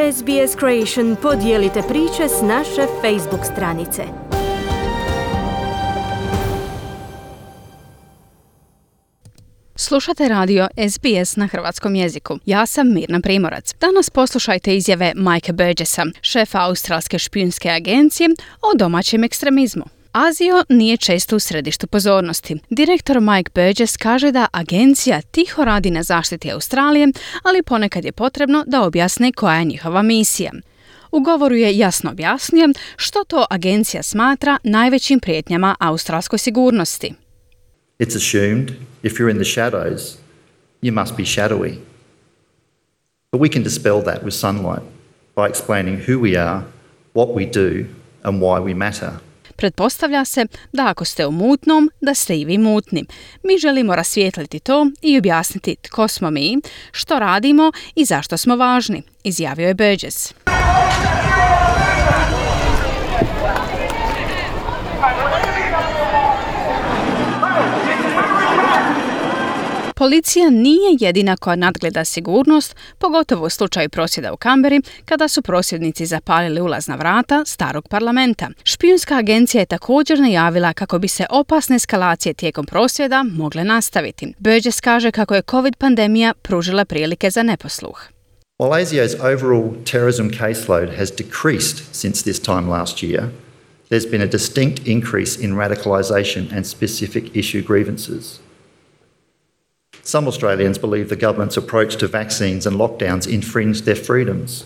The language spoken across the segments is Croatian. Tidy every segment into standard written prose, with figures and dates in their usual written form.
SBS Creation podijelite priče s naše Facebook stranice. Slušate radio SBS na hrvatskom jeziku. Ja sam Mirna Primorac. Danas poslušajte izjave Mikea Burgessa, šefa australske špijunske agencije, o domaćem ekstremizmu. Azio nije često u središtu pozornosti. Direktor Mike Burgess kaže da agencija tiho radi na zaštiti Australije, ali ponekad je potrebno da objasne koja je njihova misija. U govoru je jasno objasnio što to agencija smatra najvećim prijetnjama australskoj sigurnosti. It's assumed if you're in the shadows, you must be shadowy. But we can dispel that with sunlight by explaining who we are, what we do and why we matter. Pretpostavlja se da ako ste u mutnom, da ste i vi mutni. Mi želimo rasvijetliti to i objasniti tko smo mi, što radimo i zašto smo važni, izjavio je Burgess. Policija nije jedina koja nadgleda sigurnost, pogotovo u slučaju prosvjeda u Canberri, kada su prosvjednici zapalili ulazna vrata starog parlamenta. Špijunska agencija je također najavila kako bi se opasne eskalacije tijekom prosvjeda mogle nastaviti. Burgess kaže kako je COVID pandemija pružila prilike za neposluh. While ASIO's overall terrorism caseload has decreased since this time last year, there's been a distinct increase in radicalisation and specific issue grievances. Some Australians believe the government's approach to vaccines and lockdowns infringed their freedoms,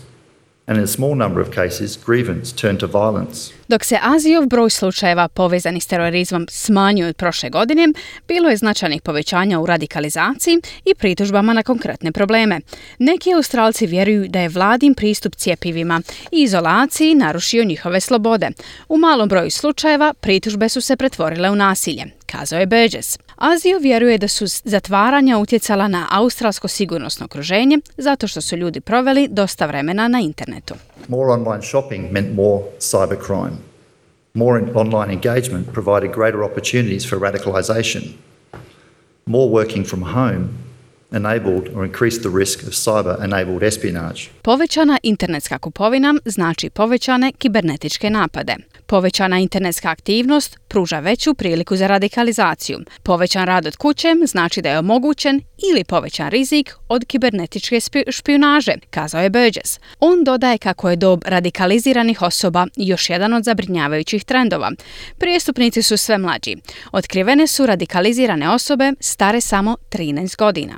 and in a small number of cases, grievance turned to violence. Dok se Azijov broj slučajeva povezanih s terorizmom smanjio od prošle godine, bilo je značajnih povećanja u radikalizaciji i pritužbama na konkretne probleme. Neki Australci vjeruju da je vladin pristup cjepivima i izolaciji narušio njihove slobode. U malom broju slučajeva pritužbe su se pretvorile u nasilje, kazao je Burgess. Azio vjeruje da su zatvaranja utjecala na australsko sigurnosno okruženje zato što su ljudi proveli dosta vremena na internetu. More online shopping meant more cybercrime. More online engagement provided greater opportunities for radicalisation. More working from home enabled or increased the risk of cyber-enabled espionage. Povećana internetska kupovina znači povećane kibernetičke napade. Povećana internetska aktivnost pruža veću priliku za radikalizaciju. Povećan rad od kuće znači da je omogućen ili povećan rizik od kibernetičke špijunaže, kazao je Burgess. On dodaje kako je dob radikaliziranih osoba još jedan od zabrinjavajućih trendova. Prijestupnici su sve mlađi. Otkrivene su radikalizirane osobe stare samo 13 godina.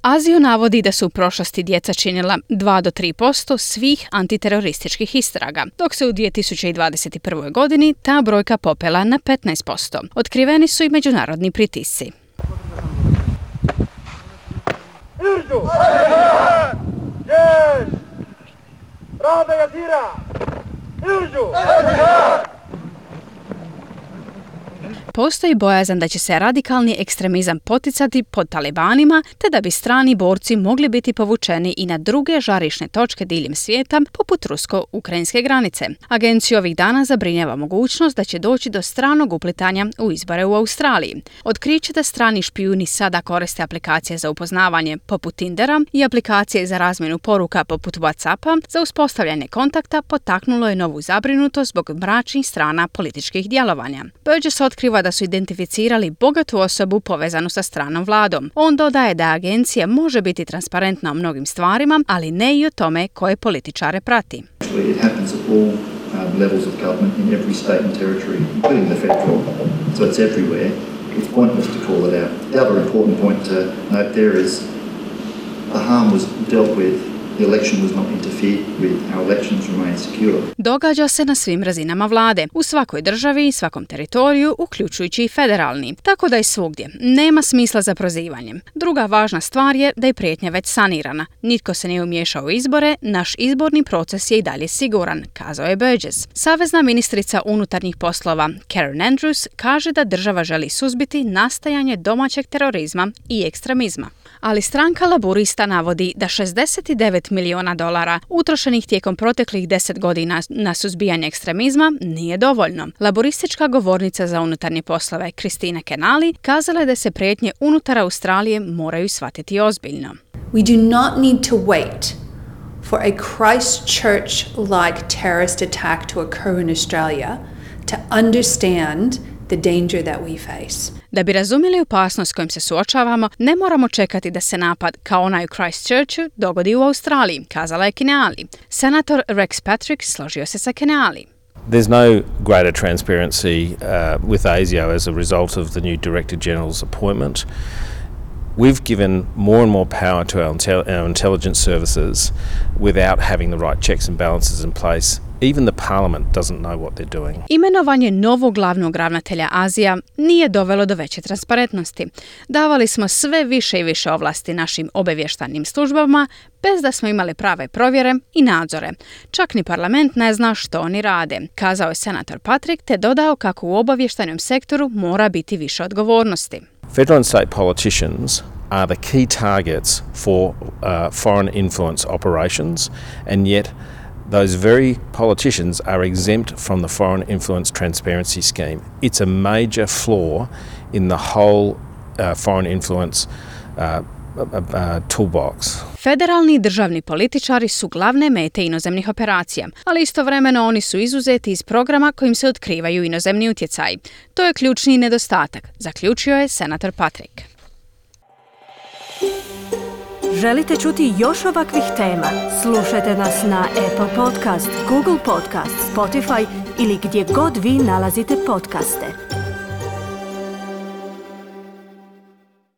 Azio navodi da su u prošlosti djeca činila 2 do 3% svih antiterorističkih istraga, dok se u 2021. godini ta brojka popela na 15%. Otkriveni su i međunarodni pritisci. Postoji bojazan da će se radikalni ekstremizam poticati pod talibanima, te da bi strani borci mogli biti povučeni i na druge žarišne točke diljem svijeta, poput rusko-ukrajinske granice. Agenciju ovih dana zabrinjava mogućnost da će doći do stranog uplitanja u izbore u Australiji. Otkriće da strani špijuni sada koriste aplikacije za upoznavanje poput Tindera i aplikacije za razmjenu poruka poput WhatsAppa za uspostavljanje kontakta potaknulo je novu zabrinutost zbog mračnih strana političkih djelovanja. Burgess otkriva da su identificirali bogatu osobu povezanu sa stranom vladom. On dodaje da agencija može biti transparentna o mnogim stvarima, ali ne i o tome koje političare prati. It happens at all levels of government in every state and territory, including the federal. So it's everywhere. It's pointless to call it out. The other important point to note there is the harm was dealt with. The election was not interfered with. Our elections remain secure. Događa se na svim razinama vlade, u svakoj državi i svakom teritoriju, uključujući i federalni. Tako da je svugdje. Nema smisla za prozivanjem. Druga važna stvar je da je prijetnja već sanirana. Nitko se nije umiješao u izbore, naš izborni proces je i dalje siguran, kazao je Burgess. Savezna ministrica unutarnjih poslova Karen Andrews kaže da država želi suzbiti nastajanje domaćeg terorizma i ekstremizma. Ali stranka Laburista navodi da $69 milijuna utrošenih tijekom proteklih 10 godina na suzbijanje ekstremizma nije dovoljno. Laburistička govornica za unutarnje poslove Kristina Kenali kazala je da se prijetnje unutar Australije moraju shvatiti ozbiljno. We do not need to wait for a Christchurch-like terrorist attack to occur in Australia to understand the danger that we face. Da bi razumjeli opasnost s kojom se suočavamo, ne moramo čekati da se napad kao onaj u Christchurchu dogodi u Australiji, kazala je Keneally. Senator Rex Patrick složio se sa Keneally. There's no greater transparency with ASIO as a result of the new Director General's appointment. We've given more and more power to our intelligence services without having the right checks and balances in place. Even the Parliament doesn't know what they're doing. Imenovanje novog glavnog ravnatelja Azija nije dovelo do veće transparentnosti. Davali smo sve više i više ovlasti našim obavještajnim službama bez da smo imali prave provjere i nadzore. Čak ni parlament ne zna što oni rade, kazao je senator Patrick te dodao kako u obavještajnom sektoru mora biti više odgovornosti. Federal and state politicians are the key targets for foreign influence operations, and yet those very politicians are exempt from the Foreign Influence Transparency Scheme. It's a major flaw in the whole foreign influence toolbox. Federalni i državni političari su glavne mete inozemnih operacija, ali istovremeno oni su izuzeti iz programa kojim se otkrivaju inozemni utjecaji. To je ključni nedostatak, zaključio je senator Patrick. Želite čuti još ovakvih tema? Slušajte nas na Apple Podcast, Google Podcast, Spotify ili gdje god vi nalazite podcaste.